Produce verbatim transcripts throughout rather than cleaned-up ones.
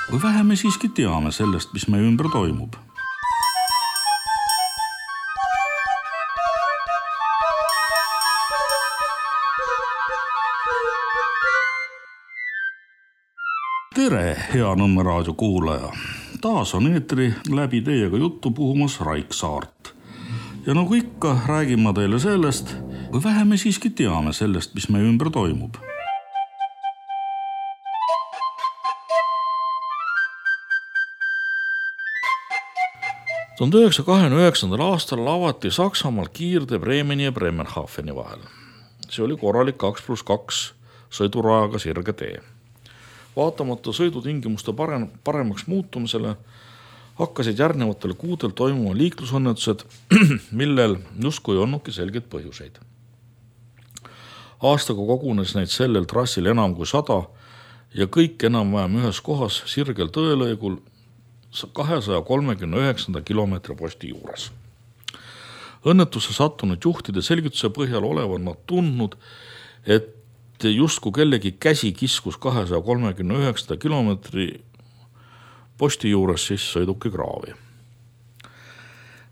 Või vähe me siiski teame sellest, mis meie ümber toimub? Tere, hea Nõmme raadio kuulaja! Taas on eetri läbi teiega juttu puhumas Raik Saart. Ja nagu ikka, räägin ma teile sellest, või vähe me siiski teame sellest, mis meie ümber toimub. tuhande üheksasaja kahekümne üheksandal aastal avati Saksamaal kiirde Bremeni ja Bremerhaveni vahel. See oli korralik kaks pluss kaks sõidurajaga sirge tee. Vaatamata sõidutingimuste parem, paremaks muutumisele hakkasid järgnevatel kuudel toimuma liiklusõnnetused, millel justkui ei olnudki selgeid põhjuseid. Aastaga kogunes neid sellel trassil enam kui sada ja kõik enam-vähem ühes kohas sirgel tõelõigul kahesaja kolmekümne üheksanda kilomeetri posti juures. Õnnetusse sattunud juhtide selgituse põhjal olevat nad tundnud, et justkui kellegi käsi kiskus kahesaja kolmekümne üheksanda kilomeetri posti juures siis sõiduki kraavi.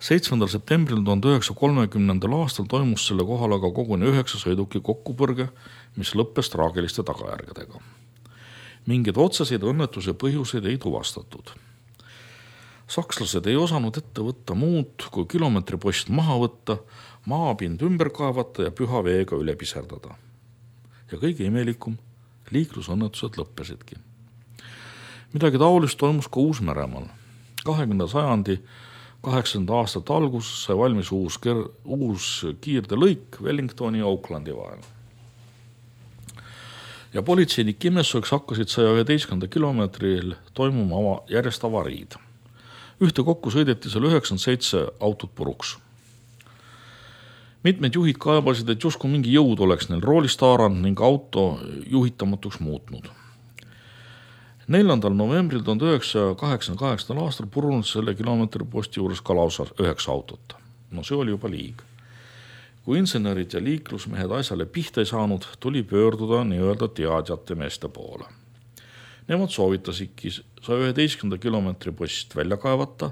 seitsmendal septembril tuhande üheksasaja kolmekümnendal aastal toimus selle kohal aga koguni üheksa sõiduki kokkupõrge, mis lõppes traagiliste tagajärgedega. Mingeid otseseid õnnetuse põhjuseid ei tuvastatud. Sakslased ei osanud ette võtta muud kui kilomeetripost maha võtta, maapind ümber kaevata ja püha veega üle piserdada. Ja kõige imelikum, liiklusõnnetused lõppesidki. Midagi taolist toimus ka Uus-Meremaal. kahekümnenda sajandi kaheksakümnendate aastate alguses sai valmis uus, ker- uus kiirde lõik Wellingtoni ja Aucklandi vahel. Ja politseinik imestuseks hakkasid saja üheteistkümnenda kilomeetril toimuma ava, järjest avariid. Ühte kokku sõideti seal üheksakümmend seitse autot puruks. Mitmed juhid kaebasid, et justkui mingi jõud oleks neil roolist haaranud ning auto juhitamatuks muutnud. neljandal novembril tuhande üheksasaja kaheksakümne kaheksandal aastal purunud selle kilomeetri posti juures ka lausa üheksa autot. No see oli juba liig. Kui insenerid ja liiklusmehed asjale pihta ei saanud, tuli pöörduda nii-öelda teadjate meeste poole. Nemad soovitasidki saja üheteistkümnenda kilomeetri post välja kaevata,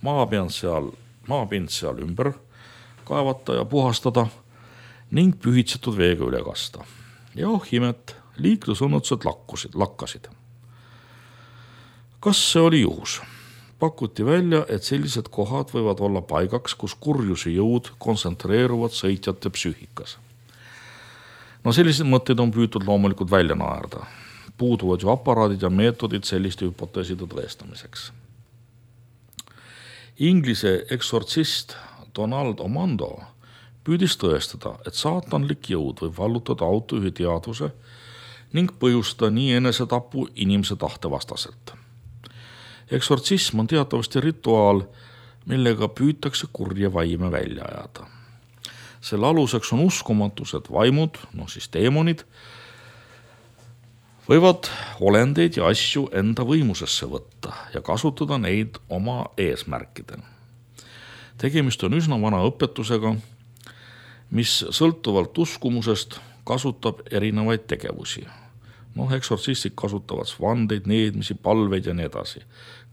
maapind seal, maapind seal ümber kaevata ja puhastada ning pühitsetud veega üle kasta. Ja oh imet, liiklusõnnetused lakkusid, lakkasid. Kas see oli juhus? Pakuti välja, et sellised kohad võivad olla paigaks, kus kurjuse jõud kontsentreeruvad sõitjate psüühikas. No sellised mõtted on püütud loomulikult välja naerda. Puuduvad ju aparaadid ja meetodid selliste hüpoteeside tõestamiseks. Inglise eksortsist Donald Omando püüdis tõestada, et saatanlik jõud võib vallutada autojuhi teadvuse ning põhjustada nii enesetapu inimese tahte vastaselt. Eksortsism on teatavasti rituaal, millega püütakse kurje vaime välja ajada. Selle aluseks on uskumatus, et vaimud, no siis teemonid, võivad olendeid ja asju enda võimusesse võtta ja kasutada neid oma eesmärkidel. Tegemist on üsna vana õpetusega, mis sõltuvalt uskumusest kasutab erinevaid tegevusi. Noh, eksortsistid kasutavad vandeid, needmisi, palveid ja nii edasi.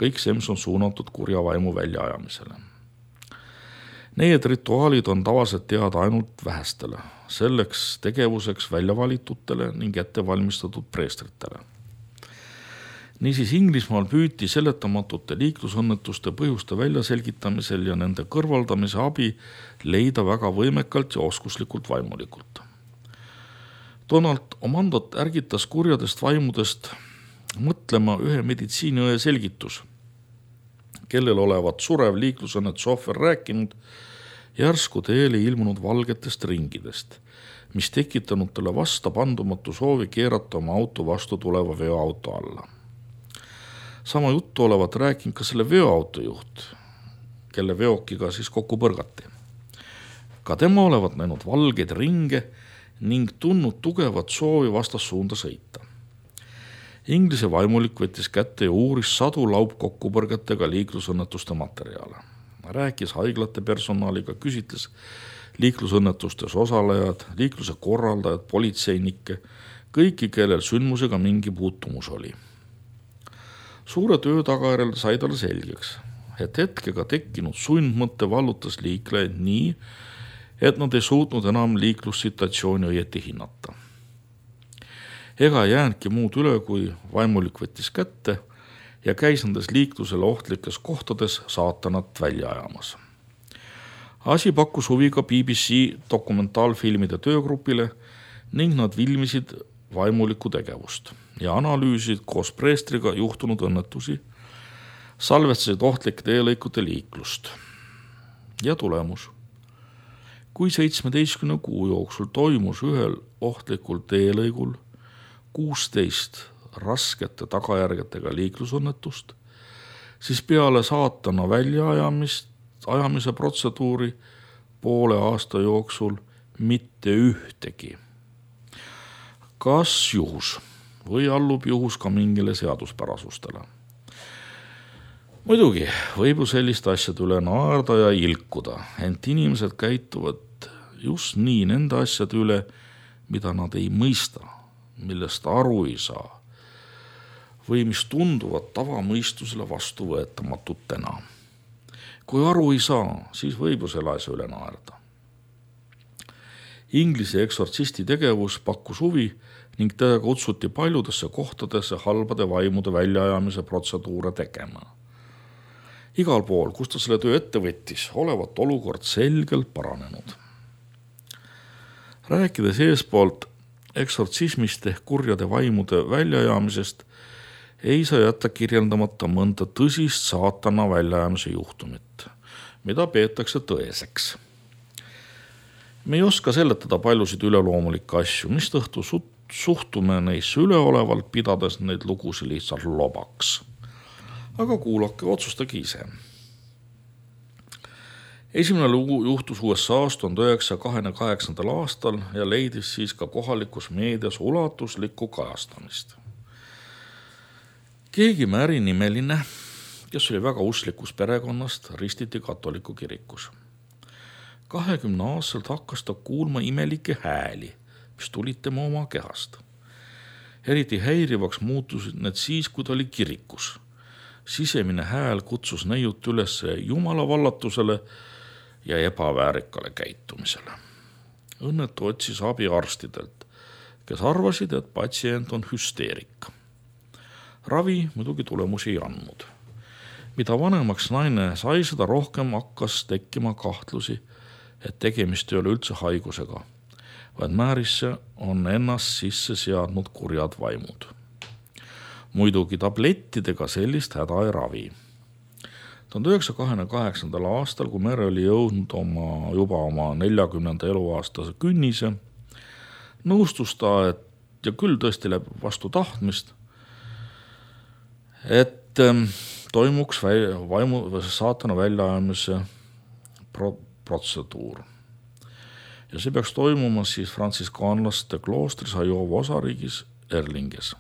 Kõik see, mis on suunatud kurja vaimu väljaajamisele. Need rituaalid on tavaliselt teada ainult vähestele, selleks tegevuseks väljavalitutele ning ettevalmistatud preestritele. Niisiis Inglismaal püüti seletamatute liiklusõnnetuste põhjuste väljaselgitamisel ja nende kõrvaldamise abi leida väga võimekalt ja oskuslikult vaimulikult. Donald Omandot ärgitas kurjadest vaimudest mõtlema ühe meditsiiniõe selgitus, kellel olevat surev liiklusõnnetuse ohver rääkinud järsku teele ilmunud valgetest ringidest, mis tekitanud talle vastapandumatu soovi keerata oma auto vastu tuleva veoauto alla. Sama juttu olevat rääkinud ka selle veoauto juht, kelle veokiga siis kokku põrgati. Ka tema olevat näinud valgeid ringe ning tundnud tugevat soovi vastassuunda sõita. Inglise vaimulik võttis kätte ja uuris sadu laupkokkupõrgetega liiklusõnnetuste materjale. Rääkis haiglate personaliga, küsitles liiklusõnnetustes osalejad, liikluse korraldajad, politseinikke, kõiki, kellel sündmusega mingi puutumus oli. Suure töö tagajärjel sai talle selgeks, et hetkega tekkinud sundmõtte vallutas liiklejaid nii, et nad ei suutnud enam liiklussituatsiooni õieti hinnata. Ega jäänudki muud üle, kui vaimulik võttis kätte ja käis nendes liiklusele ohtlikes kohtades saatanat välja ajamas. Asi pakkus huvi ka B B C dokumentaalfilmide töögrupile ning nad filmisid vaimuliku tegevust ja analüüsid koos preestriga juhtunud õnnetusi, salvestasid ohtlike teelõikude liiklust. Ja tulemus. Kui seitsmeteistkümne kuu jooksul toimus ühel ohtlikul teelõigul kuusteist raskete tagajärgedega liiklusõnnetust, siis peale saatana väljaajamist, ajamise protseduuri poole aasta jooksul mitte ühtegi. Kas juhus või allub juhus ka mingile seaduspärasustele? Muidugi võib ju sellist asjade üle naerda ja ilkuda, ent inimesed käituvad just nii nende asjade üle, mida nad ei mõista, millest aru ei saa või mis tunduvad tavamõistusele vastuvõetamatutena. Kui aru ei saa, siis võib ju selle asja üle naerda. Inglise eksortsisti tegevus pakkus huvi ning teda kutsuti paljudesse kohtadesse halbade vaimude väljaajamise protseduure tegema. Igal pool, kus ta selle töö ette võttis, olevat olukord selgelt paranenud. Rääkides eespoolt eksortsismist ehk kurjade vaimude väljaajamisest, ei saa jätta kirjeldamata mõnda tõsist saatana väljaajamise juhtumit, mida peetakse tõeseks. Me ei oska seletada paljusid üleloomulikke asju, mis tõhtu suhtume neisse üleolevalt, pidades neid lugusi lihtsalt lobaks. Aga kuulake, otsustage ise. Esimene lugu juhtus U S A-s tuhande üheksasaja kahekümne kaheksandal aastal ja leidis siis ka kohalikus meedias ulatuslikku kajastamist. Keegi Mary nimeline, kes oli väga usklikus perekonnast, ristiti katoliku kirikus. kahekümne aastaselt hakkas ta kuulma imelikke hääli, mis tulid tema oma kehast. Eriti häirivaks muutusid need siis, kui ta oli kirikus. Sisemine hääl kutsus neiut üles Jumala vallatusele ja ebaväärikale käitumisele. Õnnetu otsis abi arstidelt, kes arvasid, et patsient on hüsteerik. Ravi muidugi tulemusi ei andnud. Mida vanemaks naine sai, seda rohkem hakkas tekkima kahtlusi, et tegemist ei ole üldse haigusega, vaid Marysse on ennast sisse seadnud kurjad vaimud. Muidugi tablettidega sellist häda ei ravi. tuhande üheksasaja kahekümne kaheksandal aastal, kui Mary oli jõudnud oma, juba oma neljakümnenda eluaastase künnise, nõustus ta, et ja küll tõesti läheb vastu tahtmist, et toimuks vaimu, saatana väljaajamise pro, protseduur. Ja see peaks toimuma siis frantsiskaanlaste kloostris Iowa osariigis Erlinges.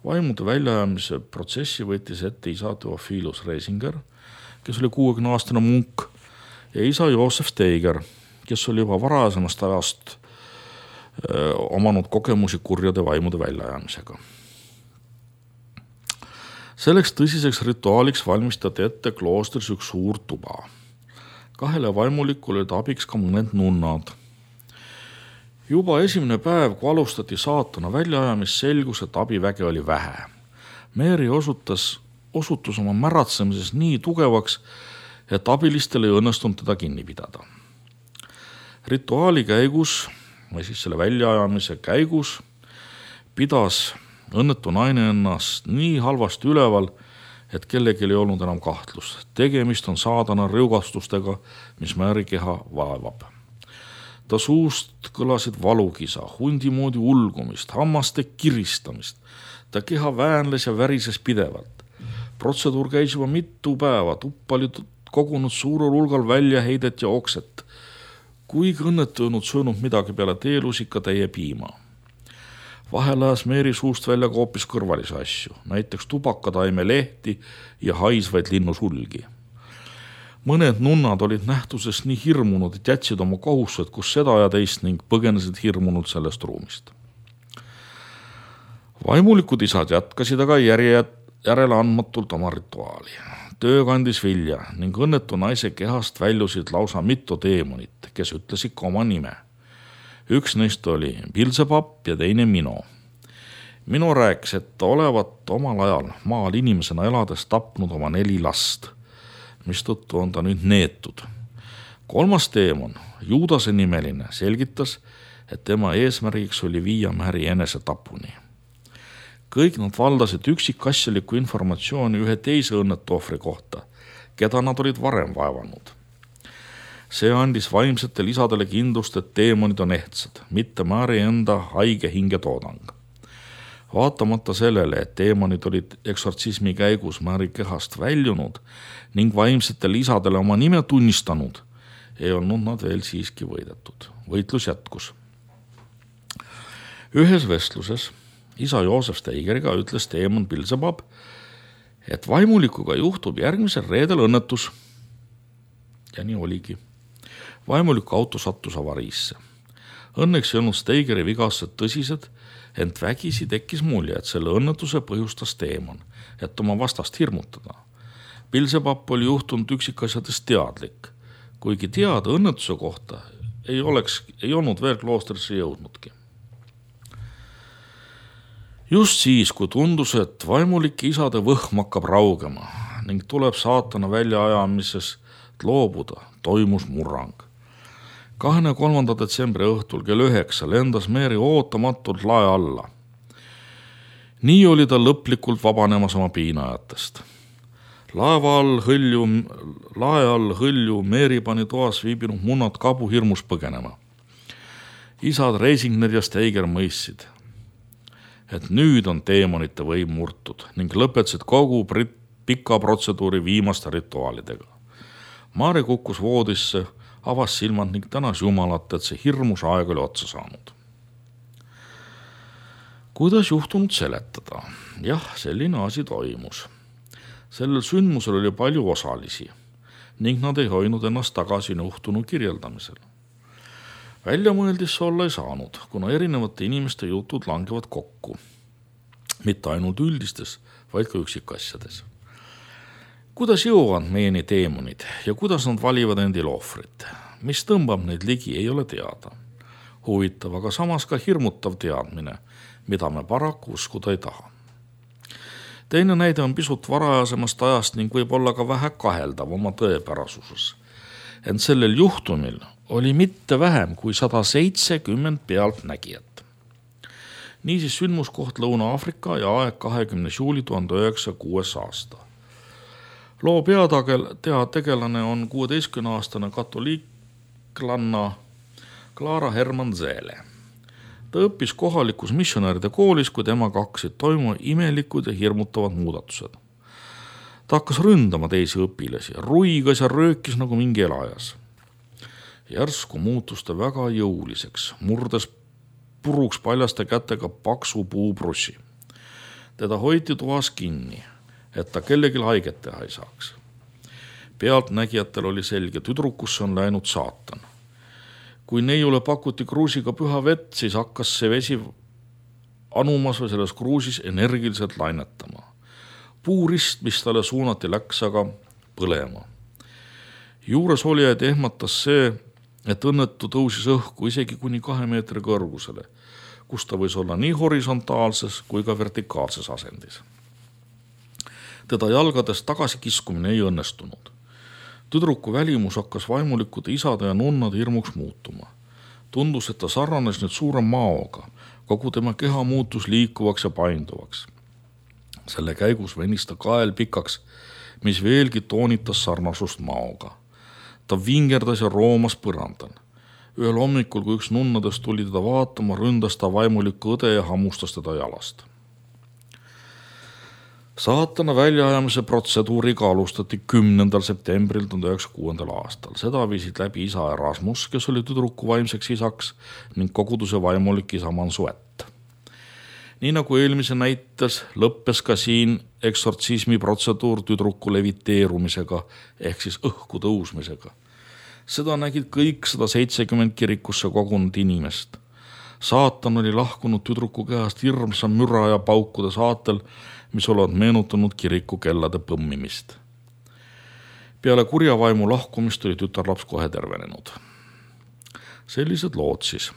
Vaimude väljaajamise protsessi võttis ette isa Theophilus Reisinger, kes oli kuuekümne aastane munk, ja isa Joosef Steiger, kes oli juba varasemast ajast öö, omanud kogemusi kurjade vaimude väljaajamisega. Selleks tõsiseks rituaaliks valmistati ette kloostris üks suur tuba. Kahele vaimulikule olid abiks ka mõned nunnad. Juba esimene päev, kui alustati saatana väljaajamist, selgus, et abiväge oli vähe. Mary osutas, osutus oma märatsemises nii tugevaks, et abilistel ei õnnestunud teda kinni pidada. Rituaali käigus, või siis selle väljaajamise käigus, pidas õnnetu naine ennast nii halvasti üleval, et kellegi ei olnud enam kahtlust. Tegemist on saadana rõugastustega, mis Mary keha vaevab. Ta suust kõlasid valukisa, hundi moodi ulgumist, hammaste kiristamist. Ta keha väänles ja värises pidevalt. Protseduur käis juba mitu päeva, tuppa oli kogunud suurel hulgal väljaheidet ja okset. Kuigi õnnetu ei olnud söönud midagi peale teelusika täie piima. Vahel ajas Mary suust välja ka hoopis kõrvalisi asju, näiteks tubakataime lehti ja haisvaid linnusulgi. Mõned nunnad olid nähtusest nii hirmunud, et jätsid oma kohustused kus seda ja teist ning põgenesid hirmunud sellest ruumist. Vaimulikud isad jätkasid aga järje, järele andmatult oma rituaali. Töö kandis vilja ning õnnetu naise kehast väljusid lausa mitu teemonit, kes ütlesid ka oma nime. Üks neist oli Pilsepapp ja teine Mino. Mino rääkis, et olevat omal ajal maal inimesena elades tapnud oma neli last, mistõttu on ta nüüd neetud. Kolmas teemon, Juudase nimeline, selgitas, et tema eesmärgiks oli viia Märi enese tapuni. Kõik nad valdasid üksikasjalikku informatsiooni ühe teise õnnetu ohvri kohta, keda nad olid varem vaevanud. See andis vaimsetele isadele kindlust, et teemonid on ehtsad, mitte Märi enda haige hingetoodang. Vaatamata sellele, et teemonid olid eksortsismi käigus Märi kehast väljunud ning vaimsetele isadele oma nime tunnistanud, ei olnud nad veel siiski võidetud. Võitlus jätkus. Ühes vestluses isa Joosef Steigeriga ütles teemon Pilsepapp, et vaimulikuga juhtub järgmisel reedel õnnetus. Ja nii oligi. Vaimuliku auto sattus avariisse. Õnneks ei olnud Steigeri vigased tõsised, ent vägisi tekkis mulje, et selle õnnetuse põhjustas teemon, et oma vastast hirmutada. Pilsepapp oli juhtunud üksikasjadest teadlik, kuigi teada õnnetuse kohta ei, oleks, ei olnud veel kloostrisse jõudnudki. Just siis, kui tundus, et vaimulike isade võhm hakkab raugema ning tuleb saatana väljaajamises loobuda, toimus murrang. kahekümne kolmanda detsembri õhtul kell üheksa lendas Mary ootamatult lae alla. Nii oli ta lõplikult vabanemas oma piinajatest. Laeva all hõlju, lae all hõlju Mary pani toas viibinud munnad kabu hirmus põgenema. Isad Reisingner ja Steiger mõistsid, et nüüd on teemonite võim murtud ning lõpetasid kogu pika protseduuri viimaste rituaalidega. Mari kukkus voodisse, avas silmad ning tänas Jumalat, et see hirmus aeg oli otsa saanud. Kuidas juhtunud seletada? Jah, selline asi toimus. Sellel sündmusel oli palju osalisi ning nad ei hoidnud ennast tagasi juhtunu kirjeldamisel. Väljamõeldis olla ei saanud, kuna erinevate inimeste jutud langevad kokku. Mitte ainult üldistes, vaid ka üksikasjades. Kuidas jõuavad meieni teemonid ja kuidas nad valivad endil ohvrit? Mis tõmbab neid ligi, ei ole teada. Huvitav, aga samas ka hirmutav teadmine, mida me paraku uskuda ei taha. Teine näide on pisut varajasemast ajast ning võib olla ka vähe kaheldav oma tõepärasuses. Ent sellel juhtumil oli mitte vähem kui sada seitsekümmend pealtnägijat. Niisiis sündmuskoht Lõuna-Aafrika ja aeg kahekümnes juuli tuhande üheksasaja kuues aasta. Loo peategelane on kuueteistkümneaastane katoliiklanna Clara Hermann Zele. Ta õppis kohalikus missionäride koolis, kui temaga hakkasid toimuma imelikud ja hirmutavad muudatused. Ta hakkas ründama teisi õpilasi, ruigas ja röökis nagu mingi elajas. Järsku muutus ta väga jõuliseks, murdes puruks paljaste kätega paksu puubrussi. Teda hoiti toas kinni, et ta kellelgi haiget teha ei saaks. Pealtnägijatel oli selge, tüdrukusse on läinud saatan. Kui neiule pakuti kruusiga püha vett, siis hakkas see vesi anumas või selles kruusis energiliselt lainetama. Puurist, mis talle suunati, läks aga põlema. Juures olijaid ehmatas see, et õnnetu tõusis õhku isegi kuni kahe meetri kõrgusele, kus ta võis olla nii horisontaalses kui ka vertikaalses asendis. Teda jalgades tagasi kiskumine ei õnnestunud. Tüdruku välimus hakkas vaimulikude isade ja nunnade hirmuks muutuma. Tundus, et ta sarnanes nüüd suure maoga, kogu tema keha muutus liikuvaks ja painduvaks. Selle käigus venis ta kael pikaks, mis veelgi toonitas sarnasust maoga. Ta vingerdas ja roomas põrandal. Ühel hommikul, kui üks nunnadest tuli teda vaatama, ründas ta vaimuliku õde ja hammustas teda jalast. Saatana väljaajamise protseduuriga alustati kümnendal septembril tuhande üheksasaja kuuendal aastal. Seda viisid läbi isa Erasmus, kes oli tüdruku vaimseks isaks ning koguduse vaimulik isa Mansuet. Nii nagu eelmise näites, lõppes ka siin eksortsismi protseduur tüdruku leviteerumisega ehk siis õhku tõusmisega. Seda nägid kõik sada seitsekümmend kirikusse kogunud inimest. Saatan oli lahkunud tüdruku kehast hirmsa müra ja paukude saatel, mis olevat meenutanud kiriku kellade põmmimist. Peale kurja vaimu lahkumist oli tütarlaps kohe tervenenud. Sellised lood siis.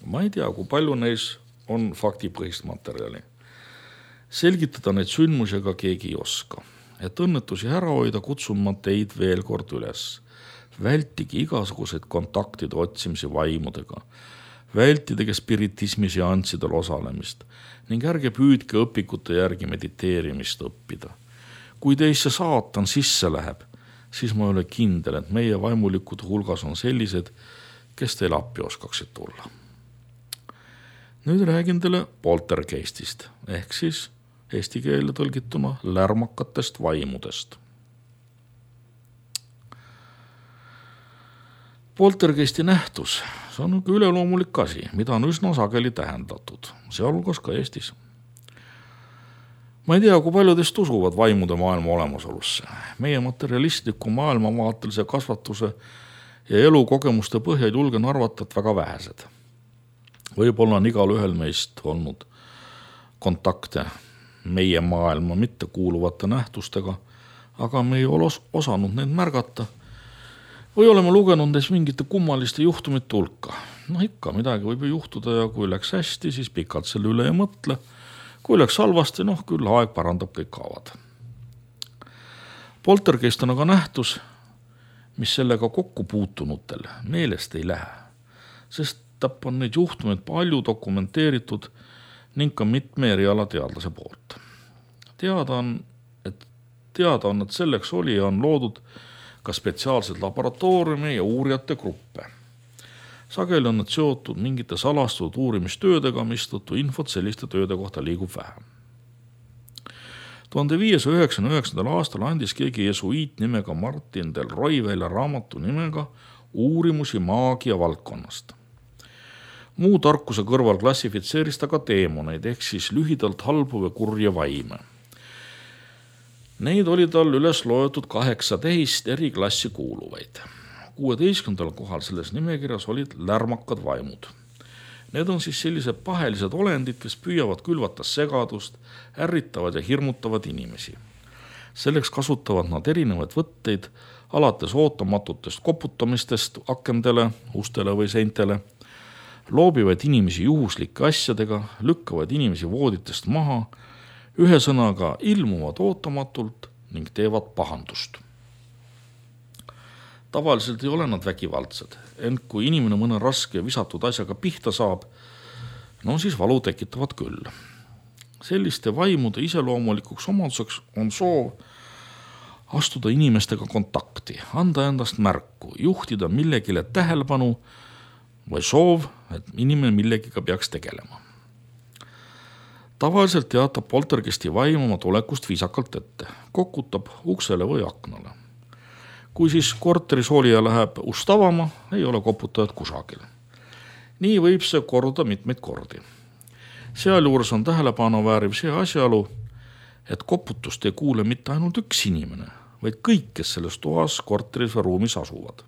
Ma ei tea, kui palju neis on faktipõhist materjali. Selgitada neid sündmusi ka keegi ei oska. Et õnnetusi ära hoida, kutsun ma teid veel kord üles. Vältige igasuguseid kontaktide otsimisi vaimudega. Vältige spiritismi seanssidel osalemist ning ärge püüdke õpikute järgi mediteerimist õppida. Kui teisse saatan sisse läheb, siis ma ei ole kindel, et meie vaimulikud hulgas on sellised, kes teil appi oskaksid tulla. Nüüd räägin teile poltergeistist, ehk siis eesti keelde tõlgituna lärmakatest vaimudest. Poltergeisti nähtus, see on üks üleloomulik asi, mida on üsna sageli tähendatud, sealhulgas ka Eestis. Ma ei tea, kui palju teist usuvad vaimude maailma olemasolusse. Meie materialistliku maailmavaatelise kasvatuse ja elukogemuste põhjal julgen arvata, et väga vähesed. Võib-olla on igal ühel meist olnud kontakte meie maailma mitte kuuluvate nähtustega, aga me ei ole osanud neid märgata või oleme lugenud neist mingite kummaliste juhtumite hulka. No ikka, midagi võib ju juhtuda ja kui läks hästi, siis pikalt selle üle ei mõtle. Kui läks halvasti, noh küll aeg parandab kõik kaavad. Poltergeist on aga nähtus, mis sellega kokku puutunutel meelest ei lähe, sest täpp on neid juhtumeid palju dokumenteeritud ning ka mitme erialateadlase poolt. Teada on, et teada on, et selleks oli ja on loodud ka spetsiaalsed laboratooriumi ja uurijate gruppe. Sageli on nad seotud mingite salastatud uurimistöödega, mistõttu infot selliste tööde kohta liigub vähem. tuhande viiesaja üheksakümne üheksandal aastal andis keegi jesuiit nimega Martin del Roy välja raamatu nimega Uurimusi maagia valdkonnast. Muu tarkuse kõrval klassifitseeris ta ka teemoneid, ehk siis lühidalt halbu või kurja vaime. Neid oli tal üles loetud kaheksateist eri klassi kuuluvaid. kuueteistkümnendal kohal selles nimekirjas olid lärmakad vaimud. Need on siis sellised pahelised olendid, kes püüavad külvata segadust, ärritavad ja hirmutavad inimesi. Selleks kasutavad nad erinevaid võtteid, alates ootamatutest koputamistest akendele, ustele või seintele, loobivad inimesi juhuslike asjadega, lükkavad inimesi vooditest maha, ühesõnaga ilmuvad ootamatult ning teevad pahandust. Tavaliselt ei ole nad vägivaldsed, ent kui inimene mõne raske visatud asjaga pihta saab, no siis valu tekitavad küll. Selliste vaimude iseloomulikuks omaduseks on soov astuda inimestega kontakti, anda endast märku, juhtida millegile tähelepanu või soov, et inimene millegiga peaks tegelema. Tavaliselt teatab poltergeisti vaim oma tulekust viisakalt ette, kokutab uksele või aknale. Kui siis korteris olija läheb ust avama, ei ole koputajad kusagil. Nii võib see korda mitmeid kordi. Sealjuures on tähelepanu vääriv see asjaolu, et koputust ei kuule mitte ainult üks inimene, vaid kõik, kes selles toas, korteris või ruumis asuvad.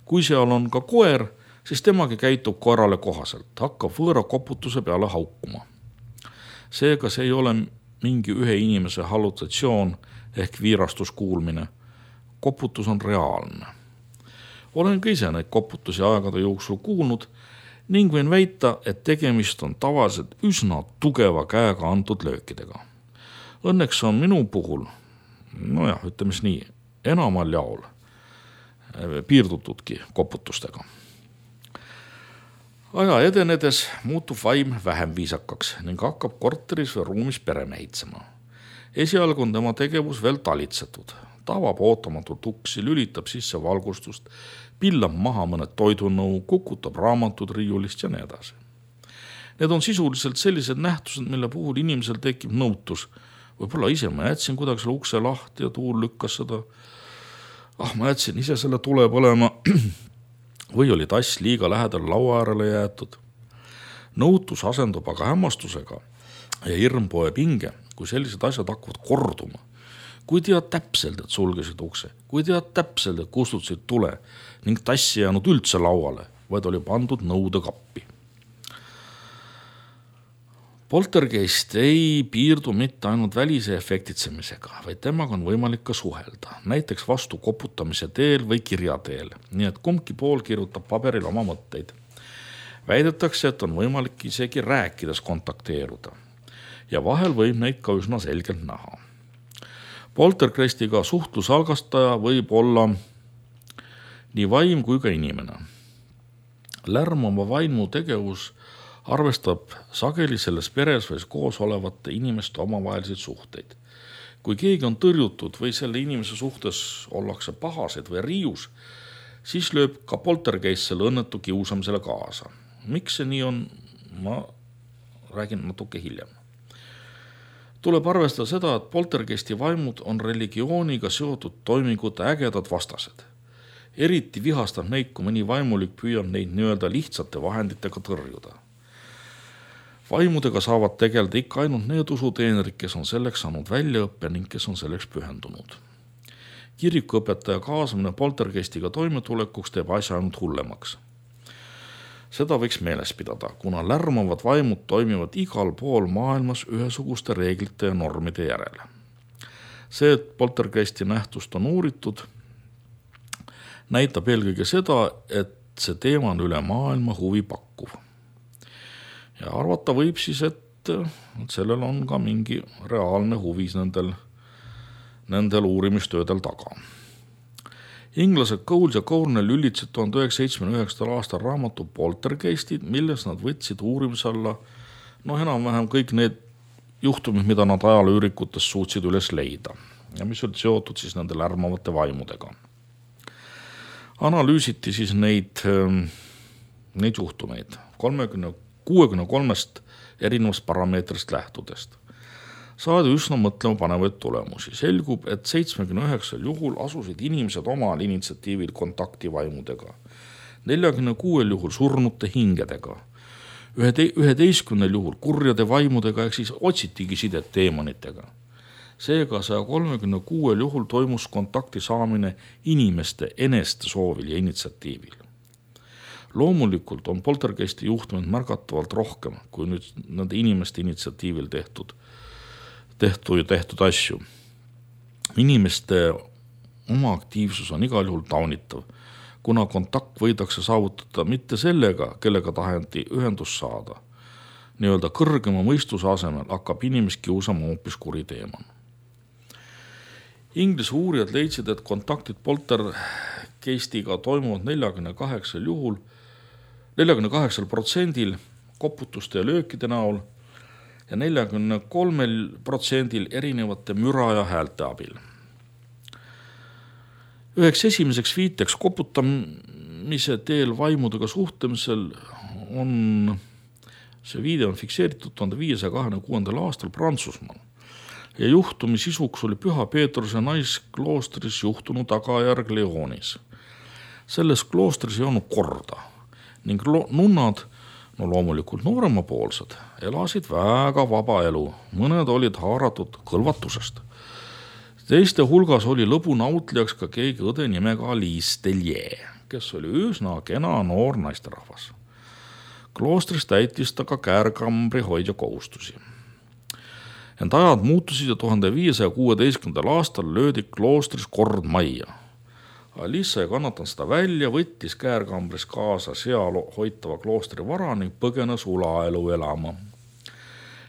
Kui seal on ka koer, siis temagi käitub koerale kohaselt, hakkab võõra koputuse peale haukuma. Seega see ei ole mingi ühe inimese hallutatsioon ehk viirastuskuulmine. Koputus on reaalne. Olen ka ise neid koputusi aegade jooksul kuulnud ning võin väita, et tegemist on tavaliselt üsna tugeva käega antud löökidega. Õnneks on minu puhul, no jah, ütleme nii, enamal jaol piirdutudki koputustega. Aja edenedes muutub vaim vähem viisakaks ning hakkab korteris või ruumis peremehitsema. Esialgu on tema tegevus veel talitsetud. Tavab ootamatult uksi, lülitab sisse valgustust, pillab maha mõned toidunõu, kukutab raamatud riiulist ja nii edasi. Need on sisuliselt sellised nähtused, mille puhul inimesel tekib nõutus. Võib-olla ise ma jätsin kuidagi selle ukse lahti ja tuul lükkas seda. Ah, ma jätsin ise selle tule põlema. Või oli tass liiga lähedal laua äärele jäetud. Nõutus asendub aga hämmastusega ja hirm poeb hinge, kui sellised asjad hakkavad korduma. Kui tead täpselt, et sulgesid ukse, kui tead täpselt, et kustutasid tule ning tassi jäänud üldse lauale, vaid oli pandud nõude kappi. Poltergeist ei piirdu mitte ainult välise efektitsemisega, vaid temaga on võimalik ka suhelda, näiteks vastu koputamise teel või kirja teel, nii et kumbki pool kirjutab paberil oma mõtteid. Väidetakse, et on võimalik isegi rääkides kontakteeruda ja vahel võib neid ka üsna selgelt näha. Poltergeistiga suhtluse algastaja võib olla nii vaim kui ka inimene. Lärmava vaimu tegevus arvestab sageli selles peres või koos olevate inimeste omavahelisi suhteid. Kui keegi on tõrjutud või selle inimese suhtes ollakse pahased või riius, siis lööb ka poltergeist selle õnnetu kiusamisele kaasa. Miks see nii on, ma räägin natuke hiljem. Tuleb arvestada seda, et poltergeisti vaimud on religiooniga seotud toimingute ägedad vastased. Eriti vihastab neid, kui mõni vaimulik püüab neid nii-öelda lihtsate vahenditega tõrjuda. Vaimudega saavad tegeleda ikka ainult need usuteenerid, kes on selleks saanud väljaõppe ning kes on selleks pühendunud. Kirikuõpetaja kaasamine poltergeistiga toimetulekuks teeb asja ainult hullemaks. Seda võiks meeles pidada, kuna lärmavad vaimud toimivad igal pool maailmas ühesuguste reeglite ja normide järele. See, et poltergeisti nähtust on uuritud, näitab eelkõige seda, et see teema on üle maailma huvi pakkuv. Ja arvata võib siis, et sellel on ka mingi reaalne huvi nendel, nendel uurimistöödel taga. Inglased Cole ja Cornell üllitasid tuhande üheksasaja seitsmekümne üheksandal aastal raamatu Poltergeistid, milles nad võtsid uurimise alla no enam-vähem kõik need juhtumid, mida nad ajalooürikutes suutsid üles leida ja mis olid seotud siis nende lärmavate vaimudega. Analüüsiti siis neid, neid juhtumeid kolmekümne kuuekümne kolmest erinevast parameetrist lähtudest. Saadi üsna mõtlema panevaid tulemusi. Selgub, et seitsmekümne üheksal juhul asusid inimesed omal initsiatiivil kontakti vaimudega, neljakümne kuuel juhul surnute hingedega, üheteistkümnel juhul kurjade vaimudega ehk siis otsitigi sidet teemonitega. Seega saja kolmekümne kuuel juhul toimus kontakti saamine inimeste eneste soovil ja initsiatiivil. Loomulikult on poltergeisti juhtumid märgatavalt rohkem kui nüüd nende inimeste initsiatiivil tehtud, tehtud ja tehtud asju. Inimeste oma aktiivsus on igal juhul taunitav, kuna kontakt võidakse saavutada mitte sellega, kellega taheti ühendust saada. Nii-öelda kõrgema mõistuse asemel hakkab inimest kiusama hoopis kuriteeman. Inglise uurijad leidsid, et kontaktid poltergeistiga toimuvad neljakümne kaheksal juhul neljakümne kaheksal protsendil koputuste ja löökide näol ja neljakümne kolmel protsendil erinevate müra ja häälte abil. Üheks esimeseks viiteks koputamise teel vaimudega suhtlemisel on, see viide on fikseeritud tuhande viiesaja kahekümne kuuendal aastal Prantsusmaal ja juhtumi sisuks oli Püha Peetruse naiskloostris juhtunud tagajärg Leonis. Selles kloostris ei olnud korda ning nunnad, no loomulikult nooremapoolsed, elasid väga vaba elu. Mõned olid haaratud kõlvatusest. Teiste hulgas oli lõbu nautlijaks ka keegi õde nimega Alice Tellier, kes oli üsna kena noor naisterahvas. Kloostris täitis ta ka käärkambri hoidja kohustusi. Ent ajad muutusid ja tuhande viiesaja kuueteistkümnendal aastal löödi kloostris kord majja. Alice ei kannatanud seda välja, võttis käärkambris kaasa seal hoitava kloostri vara ning põgenes ulaelu elama.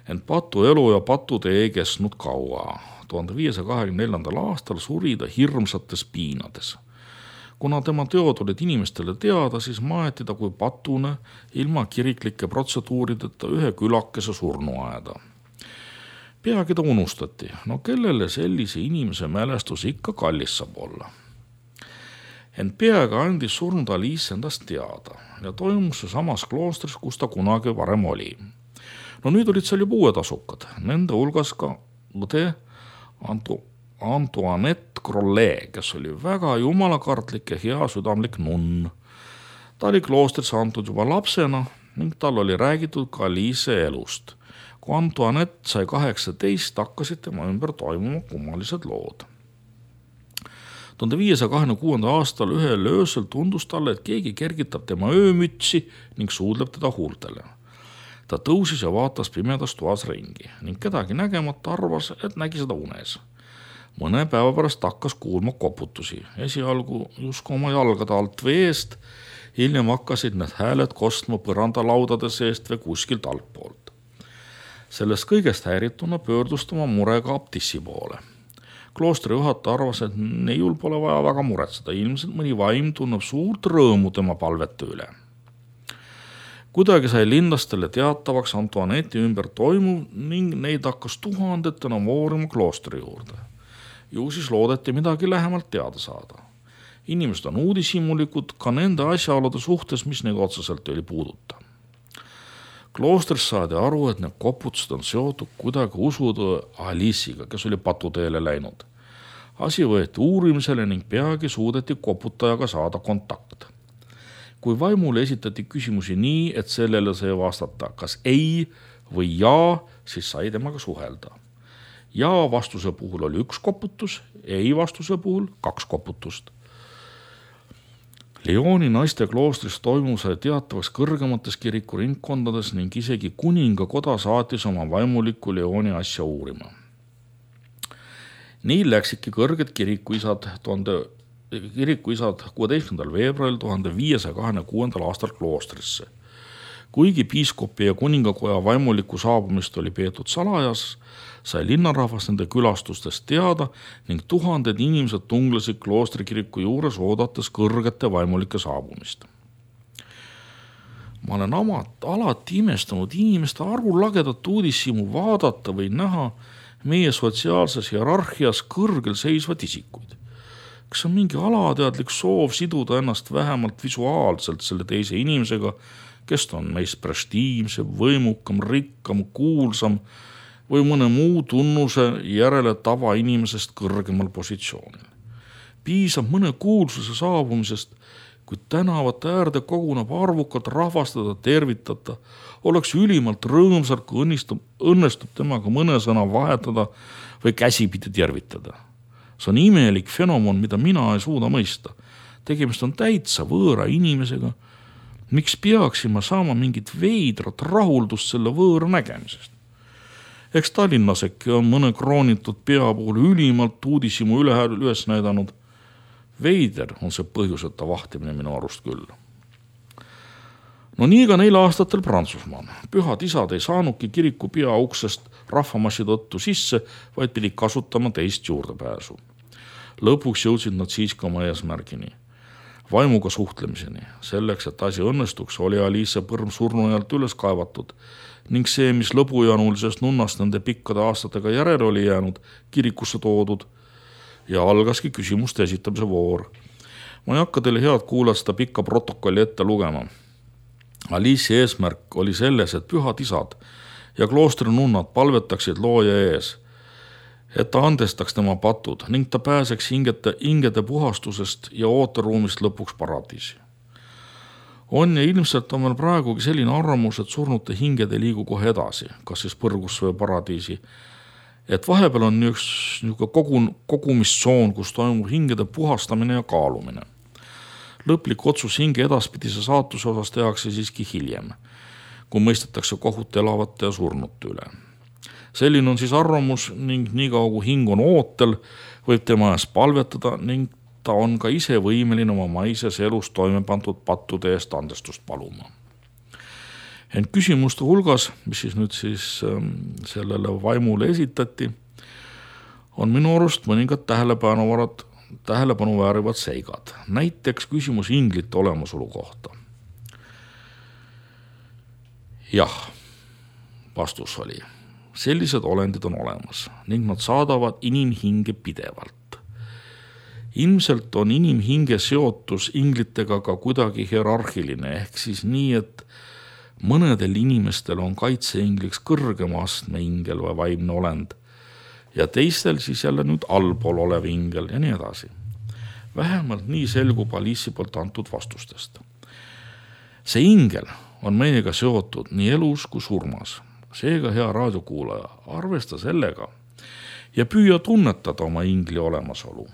Ent patu elu ja patutee ei kestnud kaua. tuhande viiesaja kahekümne neljandal aastal suri ta hirmsates piinades. Kuna tema teod olid inimestele teada, siis maeti ta kui patune ilma kiriklike protseduurideta ühe külakese surnuaeda. Peagi ta unustati, no kellele sellise inimese mälestus ikka kallis saab olla. Ent peagi andis surnud Alice endast teada ja toimus see samas kloostris, kus ta kunagi varem oli. No nüüd olid seal juba uued asukad, nende hulgas ka õde Antoinette Grollet, kes oli väga jumalakartlik ja hea südamlik nunn. Ta oli kloostris antud juba lapsena ning tal oli räägitud ka Alice elust. Kui Antoinette sai kaheksateist, hakkasid tema ümber toimuma kummalised lood. tuhande viiesaja kahekümne kuuendal aastal ühel öösel tundus talle, et keegi kergitab tema öömütsi ning suudleb teda huultele. Ta tõusis ja vaatas pimedas toas ringi ning kedagi nägemata arvas, et nägi seda unes. Mõne päeva pärast hakkas kuulma koputusi, esialgu justkui oma jalgade alt veest, hiljem hakkasid need hääled kostma põrandalaudade seest või kuskilt altpoolt. Sellest kõigest häirituna pöördus oma murega abtissi poole. Kloostri juhataja arvas, et neiul pole vaja väga muretseda, ilmselt mõni vaim tunneb suurt rõõmu tema palvete üle. Kuidagi sai linnastele teatavaks Antoinetti ümber toimuv ning neid hakkas tuhandetena voorima kloostri juurde. Ju siis loodeti midagi lähemalt teada saada. Inimesed on uudishimulikud ka nende asjaolude suhtes, mis neid otseselt oli puuduta. Kloostris saadi aru, et need koputused on seotud kuidagi usutõe Alice'iga, kes oli patuteele läinud. Asi võeti uurimisele ning peagi suudeti koputajaga saada kontakt. Kui vaimule esitati küsimusi nii, et sellele sai vastata kas ei või jaa, siis sai temaga suhelda. Jaa vastuse puhul oli üks koputus, ei vastuse puhul kaks koputust. Lyoni naiste kloostris toimus sai teatavaks kõrgemates kiriku ringkondades ning isegi kuningakoda saatis oma vaimuliku Lyoni asja uurima. Nii läksidki kõrged kirikuisad tuhande kirikuisad kuueteistkümnendal veebruaril tuhande viiesaja kahekümne kuuendal aastal kloostrisse. Kuigi piiskopi ja kuningakoja vaimuliku saabumist oli peetud salajas, sai linnarahvas nende külastustest teada ning tuhanded inimesed tunglesid kloostrikiriku juures oodates kõrgete vaimulike saabumist. Ma olen amat, alati imestanud inimeste arvulagedat uudishimu vaadata või näha meie sotsiaalses hierarhias kõrgel seisvad isikuid. Kas on mingi alateadlik soov siduda ennast vähemalt visuaalselt selle teise inimesega, kes on meist prestiivsem, võimukam, rikkam, kuulsam või mõne muu tunnuse järele tavainimesest kõrgemal positsioonil. Piisab mõne kuulsuse saabumisest, kui tänavate äärde koguneb arvukalt rahvastada, tervitada, oleks ülimalt rõõmsalt, kui õnnistub, õnnestub temaga mõne sõna vahetada või käsipidi tervitada. See on imelik fenomen, mida mina ei suuda mõista. Tegemist on täitsa võõra inimesega. Miks peaksin ma saama mingit veidrat rahuldust selle võõra nägemisest? Eks Tallinnaseki on mõne kroonitud pea puhul ülimalt uudishimu üle üles näidanud. Veider on see põhjuseta vahtimine minu arust küll. No nii ka neil aastatel Prantsusmaal. Pühad isad ei saanudki kiriku pea uksest rahvamassi tõttu sisse, vaid pidi kasutama teist juurdepääsu. Lõpuks jõudsid nad siiski oma eesmärgini. Vaimuga suhtlemiseni. Selleks, et asi õnnestuks, oli Alice põrm surnujalt üles kaevatud ning see, mis lõbujanulisest nunnast nende pikkade aastatega järele oli jäänud, kirikusse toodud ja algaski küsimuste esitamise voor. Ma ei hakka teile head kuulata seda pikka protokolli ette lugema. Alice'i eesmärk oli selles, et pühad isad ja kloostri nunnad palvetaksid looja ees, et ta andestaks tema patud ning ta pääseks hingete, hingede puhastusest ja ooteruumist lõpuks paradiisi. On ja ilmselt on meil praegugi selline arvamus, et surnute hinged ei liigu kohe edasi, kas siis põrgusse või paradiisi, et vahepeal on üks kogun, kogumistsoon, kus toimub hingede puhastamine ja kaalumine. Lõplik otsus hinge edaspidise saatuse osas tehakse siiski hiljem, kui mõistetakse kohut elavate ja surnute üle. Selline on siis arvamus ning nii kaua kui hing on ootel, võib tema ees palvetada ning ta on ka ise võimeline oma maises elus toime pandud pattude eest andestust paluma. Ent küsimuste hulgas, mis siis nüüd siis sellele vaimule esitati, on minu arust mõningad tähelepanuvarad tähelepanu väärivad seigad. Näiteks küsimus inglite olemasolu kohta. Jah, vastus oli. Sellised olendid on olemas ning nad saadavad inimhinge pidevalt. Ilmselt on inimhinge seotus inglitega ka kuidagi hierarhiline, ehk siis nii, et mõnedel inimestel on kaitseingliks kõrgema astme ingel või vaimne olend ja teistel siis jälle nüüd allpool olev ingel ja nii edasi. Vähemalt nii selgub Alice'i poolt antud vastustest. See ingel on meiega seotud nii elus kui surmas. Seega, hea raadiokuulaja, arvesta sellega ja püüa tunnetada oma ingli olemasolu.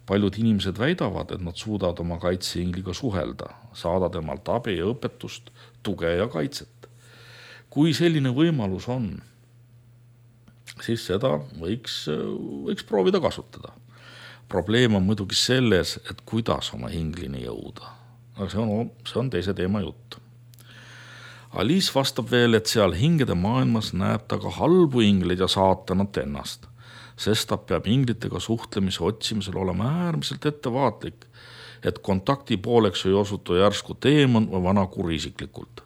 Paljud inimesed väidavad, et nad suudavad oma kaitseingliga suhelda, saada temalt abi ja õpetust, tuge ja kaitset. Kui selline võimalus on, siis seda võiks, võiks proovida kasutada. Probleem on muidugi selles, et kuidas oma hinglini jõuda. Aga see on, see on teise teema jutt. Alice vastab veel, et seal hingede maailmas näeb ta ka halbu ingleid ja saatanat ennast, sest ta peab inglitega suhtlemise otsimisel olema äärmiselt ettevaatlik, et kontakti pooleks ei osutu järsku teemon või vana kurisiklikult.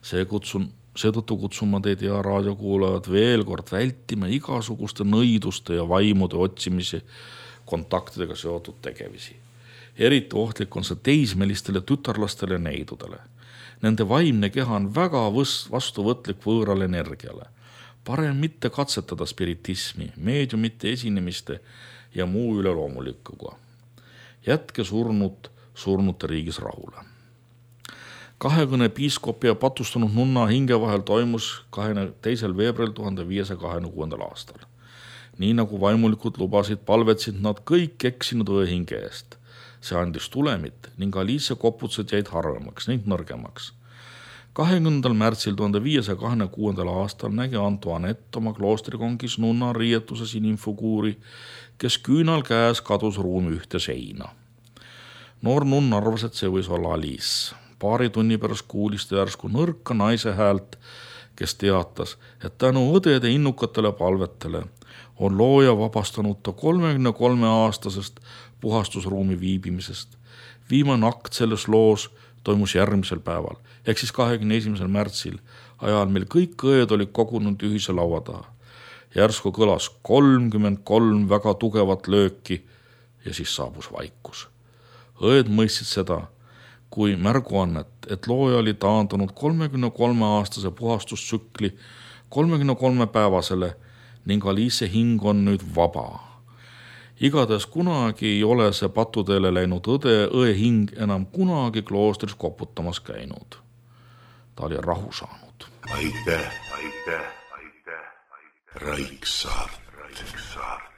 See kutsun, seetõttu kutsun ma teid ja raadiokuulajad veel kord vältima igasuguste nõiduste ja vaimude otsimisi kontaktidega seotud tegevisi. Eriti ohtlik on see teismelistele tütarlastele ja neidudele. Nende vaimne keha on väga vastuvõtlik võõrale energiale. Parem mitte katsetada spiritismi, meediumite esinemiste ja muu üleloomulikuga. Jätke surnud surnute riigis rahule. Kahekõne piiskopi ja patustunud nunna hinge vahel toimus teisel veebruaril tuhande viiesaja kahekümne aastal. Nii nagu vaimulikud lubasid, palvetsid nad kõik eksinud õehinge eest. See andis tulemit ning Alice koputsed jäid harvemaks ning nõrgemaks. kahekümnendal märtsil tuhande viiesaja kahekümne kuuendal aastal nägi Antoinette oma kloostrikongis nunna riietuses inimfiguuri, kes küünal käes kadus ruumi ühte seina. Noor nunn arvas, et see võis olla Alice. Paari tunni pärast kuulis ta järsku nõrka naise häält, kes teatas, et tänu õdede innukatele palvetele on looja vabastanud ta kolmekümne kolme aastasest puhastusruumi viibimisest. Viimane akt selles loos toimus järgmisel päeval, ehk siis kahekümne esimesel märtsil, ajal meil kõik õed olid kogunud ühise laua taha. Järsku kõlas kolmkümmend kolm väga tugevat lööki ja siis saabus vaikus. Õed mõistsid seda kui märguannet, et looja oli taandunud kolmekümne kolme aastase puhastustsükli kolmekümne kolme päevasele ning Alice hing on nüüd vaba. Igatahes kunagi ei ole see patuteele läinud õde, õe hing enam kunagi kloostris koputamas käinud. Ta oli rahu saanud. Aitäh, aitäh, aitäh, aitäh. Raiksaart. Raiksaart.